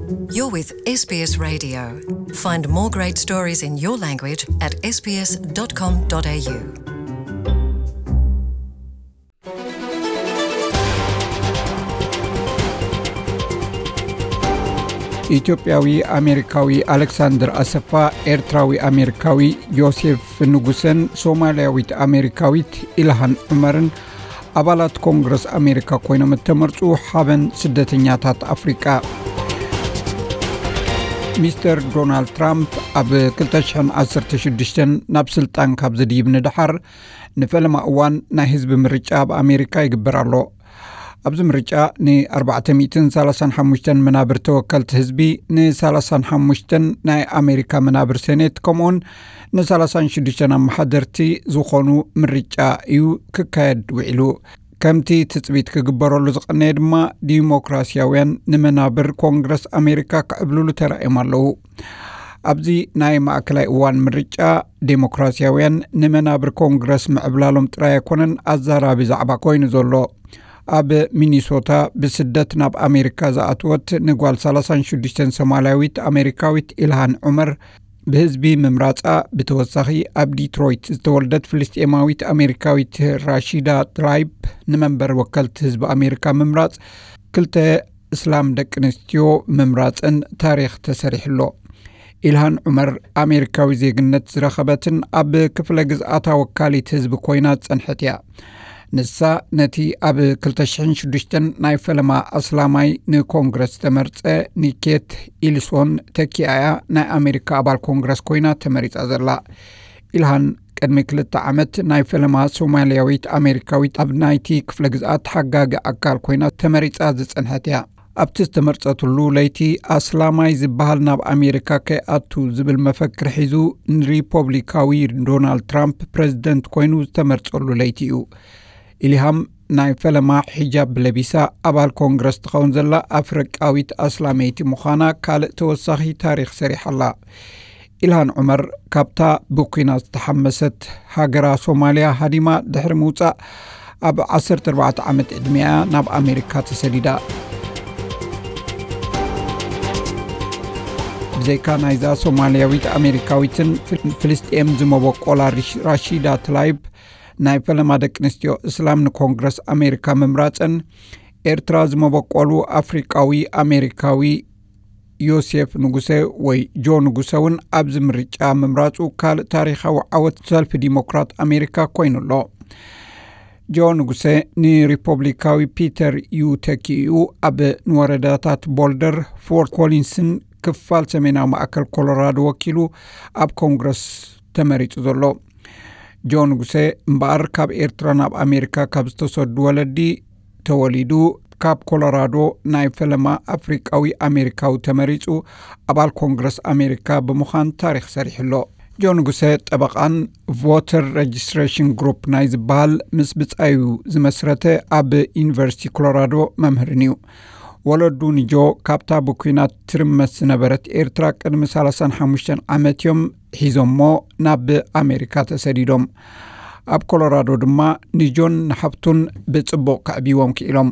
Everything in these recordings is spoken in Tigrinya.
You're with S B S Radio. Find more great stories in your language at S B S dot com dot A U. ኢትዮጵያዊ ኣሜሪካዊ ኣሌክሳንደር ኣሰፋ፣ ኤርትራዊ ኣሜሪካዊ ዮሴፍ ንጉሰን ሶማልያዊት ኣሜሪካዊት ኢልሃን ዑመርን ኣባላት ኮንግረስ ኣሜሪካ ኮይኖም እተመርጹ ሓበን ስደተኛታት ኣፍሪቃ። ሚስተር ዶናልድ ትራምፕ ኣብ ክልተ ሽሕን ዓሰርተ ሽዱሽተን ናብ ስልጣን ካብ ዝድይብ ንደሓር፣ ንፈለማ እዋን ናይ ህዝቢ ምርጫ ኣብ ኣሜሪካ ይግበር ኣሎ። ኣብዚ ምርጫ ንኣርባዕተ ሚእትን ሰላሳን ሓሙሽተን መናብር ተወከልቲ ህዝቢ፣ ንሰላሳን ሓሙሽተን ናይ ኣሜሪካ መናብር ሴኔት፣ ከምኡውን ንሰላሳን ሽዱሽተን ኣመሓደርቲ ዝኾኑ ምርጫ እዩ ክካየድ ውዒሉ። ከምቲ ትጽቢት ክግበረሉ ዝቐነየ ድማ፣ ዲሞክራሲያውያን ንመናብር ኮንግረስ ኣሜሪካ ክዕብልሉ ተራእዮም ኣለዉ። ኣብዚ ናይ ማእከላይ እዋን ምርጫ፣ ዴሞክራሲያውያን ንመናብር ኮንግረስ ምዕብላሎም ጥራይ ኣይኮነን ኣዛራቢ ዛዕባ ኮይኑ ዘሎ። ኣብ ሚኒሶታ ብስደት ናብ ኣሜሪካ ዝኣተወት ንጓል ሰላሳን ሽዱሽተን ሶማልያዊት ኣሜሪካዊት ኢልሃን ዑመር፣ ብህዝቢ ምምራጻ፣ ብተወሳኺ ኣብ ዲትሮይት ዝተወልደት ፍልስጤማዊት ኣሜሪካዊት ራሺዳ ትላይብ ንመንበር ወከልቲ ህዝቢ ኣሜሪካ ምምራጽ፣ ክልተ እስላም ደቂ ኣንስትዮ ምምራጽን ታሪኽ ተሰሪሑ ኣሎ። ኢልሃን ዑመር ኣሜሪካዊ ዜግነት ዝረኸበትን ኣብ ክፍለ ግዝኣታ ወካሊት ህዝቢ ኮይና ዝጸንሐት እያ። ንሳ ነቲ ኣብ ክልተ ሽሕን ሽዱሽተን ናይ ፈለማ ኣስላማይ ንኮንግረስ ዝተመርጸ ኒኬት ኢልሶን ተኪኣ እያ ናይ ኣሜሪካ ኣባል ኮንግረስ ኮይና ተመሪጻ ዘላ። ኢልሃን ቅድሚ ክልተ ዓመት ናይ ፈለማ ሶማልያዊት ኣሜሪካዊት ኣብ ናይቲ ክፍለ ግዝኣት ሓጋጊ ኣካል ኮይና ተመሪጻ ዝጸንሐት እያ። ኣብቲ ዝተመርጸትሉ ለይቲ፣ ኣስላማይ ዝበሃል ናብ ኣሜሪካ ከይኣቱ ዝብል መፈክር ሒዙ ንሪፖብሊካዊ ዶናልድ ትራምፕ ፕሬዝደንት ኮይኑ ዝተመርጸሉ ለይቲ እዩ። ኢልሃም ናይ ፈለማ ሒጃብ ለቢሳ ኣባል ኮንግረስ ትኸውን ዘላ ኣፍሪቃዊት ኣስላመይቲ ምዃና ካልእ ተወሳኺ ታሪኽ ሰሪሓ ኣላ። ኢልሃን ዑመር ካብታ ብኲናት ዝተሓመሰት ሃገራ ሶማልያ ሃዲማ ድሕሪ ምውጻእ፣ ኣብ ዓሰርተ ኣርባዕተ ዓመት ዕድሚኣ ናብ ኣሜሪካ ተሰዲዳ። ብዘይካ ናይዛ ሶማልያዊት ኣሜሪካዊትን ፍል-፣ ፍልስጤም ዝመበቆላ ሪሽ-፣ ራሺዳ ትላይብ ናይ ፈለማ ደቂ ኣንስትዮ እስላም ንኮንግረስ ኣሜሪካ ምምራጸን፣ ኤርትራ ዝመበቆሉ ኣፍሪቃዊ ኣሜሪካዊ ዮሴፍ ንጉሰ ወይ ጆ ንጉሰ እውን ኣብዚ ምርጫ ምምራጹ ካልእ ታሪኻዊ ዓወት ሰልፊ ዲሞክራት ኣሜሪካ ኮይኑ ኣሎ። ጆ ንጉሰ ንሪፖብሊካዊ ፒተር ዩ ተኪኡ ኣብ ንወረዳታት ቦልደር፣ ፎርት ኮሊንስን ክፋል ሰሜናዊ ማእከል ኮሎራዶ ወኪሉ ኣብ ኮንግረስ ተመሪጹ ዘሎ። ጆ ንጉሰ እምበኣር ካብ ኤርትራ ናብ ኣሜሪካ ካብ ዝተሰዱ ወለዲ ተወሊዱ፣ ካብ ኮሎራዶ ናይ ፈለማ ኣፍሪቃዊ ኣሜሪካዊ ተመሪጹ ኣባል ኮንግረስ ኣሜሪካ ብምዃን ታሪኽ ሰሪሑ ኣሎ። ጆ ንጉሰ ጠበቓን ቮተር ሬጅስትሬሽን ግሩፕ ናይ ዝበሃል ምስ ብጻዩ ዝመስረተ ኣብ ዩኒቨርሲቲ ኮሎራዶ መምህርን እዩ። ወለዱ ንጆ ካብታ ብኲናት ትርመስ ዝነበረት ኤርትራ ቅድሚ ሰላሳን ሓሙሽተን ዓመት እዮም ሒዞሞ ናብ ኣሜሪካ ተሰዲዶም። ኣብ ኮሎራዶ ድማ ንጆን ንሓፍቱን ብጽቡቕ ከዕብይዎም ክኢሎም።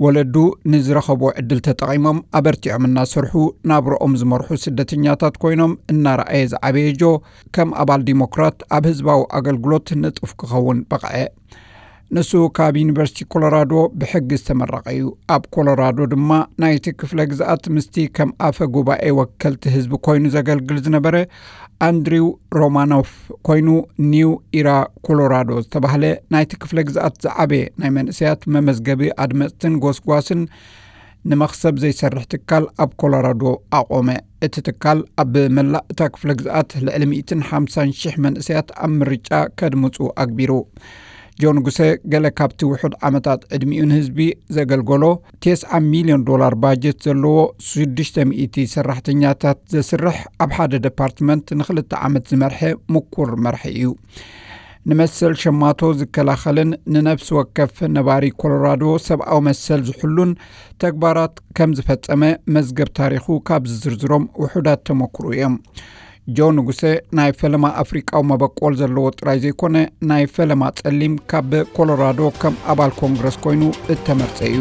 ወለዱ ንዝረኸብዎ ዕድል ተጠቒሞም ኣበርቲዖም እናሰርሑ ናብርኦም ዝመርሑ ስደተኛታት ኮይኖም እናረኣየ ዝዓበየ ጆ፣ ከም ኣባል ዲሞክራት ኣብ ህዝባዊ ኣገልግሎት ንጡፍ ክኸውን በቕዐ። ንሱ ካብ ዩኒቨርሲቲ ኮሎራዶ ብሕጊ ዝተመረቐ እዩ። ኣብ ኮሎራዶ ድማ ናይቲ ክፍለ ግዝኣት ምስቲ ከም ኣፈ ጉባኤ ወከልቲ ህዝቢ ኮይኑ ዘገልግል ዝነበረ ኣንድሪው ሮማኖፍ ኮይኑ፣ ኒው ኢራ ኮሎራዶ ዝተባህለ ናይቲ ክፍለ ግዝኣት ዝዓበየ ናይ መንእሰያት መመዝገቢ ኣድመፅትን ጎስጓስን ንመኽሰብ ዘይሰርሕ ትካል ኣብ ኮሎራዶ ኣቖመ። እቲ ትካል ኣብ መላእ እታ ክፍለ ግዝኣት ልዕሊ ሚእትን ሓምሳን ሽሕ መንእሰያት ኣብ ምርጫ ከድምፁ ኣግቢሩ። ጆን ጉሰ ገለ ካብቲ ውሑድ ዓመታት ዕድሚኡ ንህዝቢ ዘገልገሎ፣ ተስዓ ሚልዮን ዶላር ባጀት ዘለዎ፣ ሽዱሽተ ሚእቲ ሰራሕተኛታት ዘስርሕ፣ ኣብ ሓደ ደፓርትመንት ንኽልተ ዓመት ዝመርሐ ምኩር መራሒ እዩ። ንመሰል ሸማቶ ዝከላኸልን ንነፍሲ ወከፍ ነባሪ ኮሎራዶ ሰብኣዊ መሰል ዝሕሉን ተግባራት ከም ዝፈጸመ መዝገብ ታሪኹ ካብ ዝዝርዝሮም ውሑዳት ተመክሮ እዮም። ጆ ንጉሰ ናይ ፈለማ ኣፍሪቃዊ መበቆል ዘለዎ ጥራይ ዘይኮነ፣ ናይ ፈለማ ጸሊም ካብ ኮሎራዶ ከም ኣባል ኮንግረስ ኮይኑ እተመርጸ እዩ።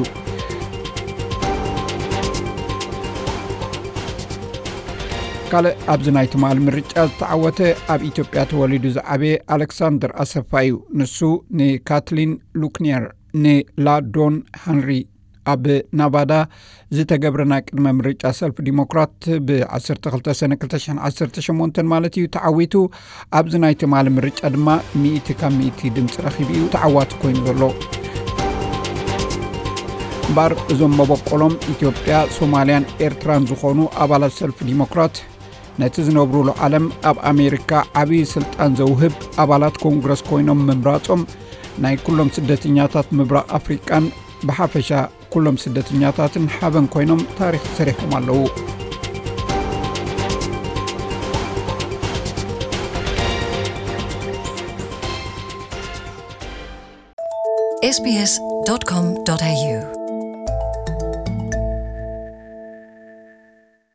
ካልእ ኣብዚ ናይ ትማሊ ምርጫ ዝተዓወተ ኣብ ኢትዮጵያ ተወሊዱ ዝዓበየ ኣሌክሳንደር ኣሰፋ እዩ። ንሱ ንካትሊን ሉክኒየር፣ ንላዶን ሃንሪ ኣብ ናቫዳ ዝተገብረ ናይ ቅድመ ምርጫ ሰልፊ ዲሞክራት ብ12 ሰነ ክልተ ሽሕን ዓሰርተ ሸሞንተን ማለት እዩ ተዓዊቱ። ኣብዚ ናይ ትማሊ ምርጫ ድማ ሚእቲ ካብ ሚእቲ ድምፂ ረኺቡ እዩ ተዓዋቲ ኮይኑ ዘሎ። እምበኣር እዞም መበቆሎም ኢትዮጵያ፣ ሶማልያን ኤርትራን ዝኾኑ ኣባላት ሰልፊ ዲሞክራት ነቲ ዝነብሩሉ ዓለም ኣብ ኣሜሪካ ዓብዪ ስልጣን ዘውህብ ኣባላት ኮንግረስ ኮይኖም ምምራጾም ናይ ኩሎም ስደተኛታት ምብራቕ ኣፍሪቃን ብሓፈሻ ኩሎም ስደተኛታትን ሓበን ኮይኖም ታሪኽ ሰሪሖም ኣለዉ። ኤስቢኤስ ዶት ኮም ዶት ኤዩ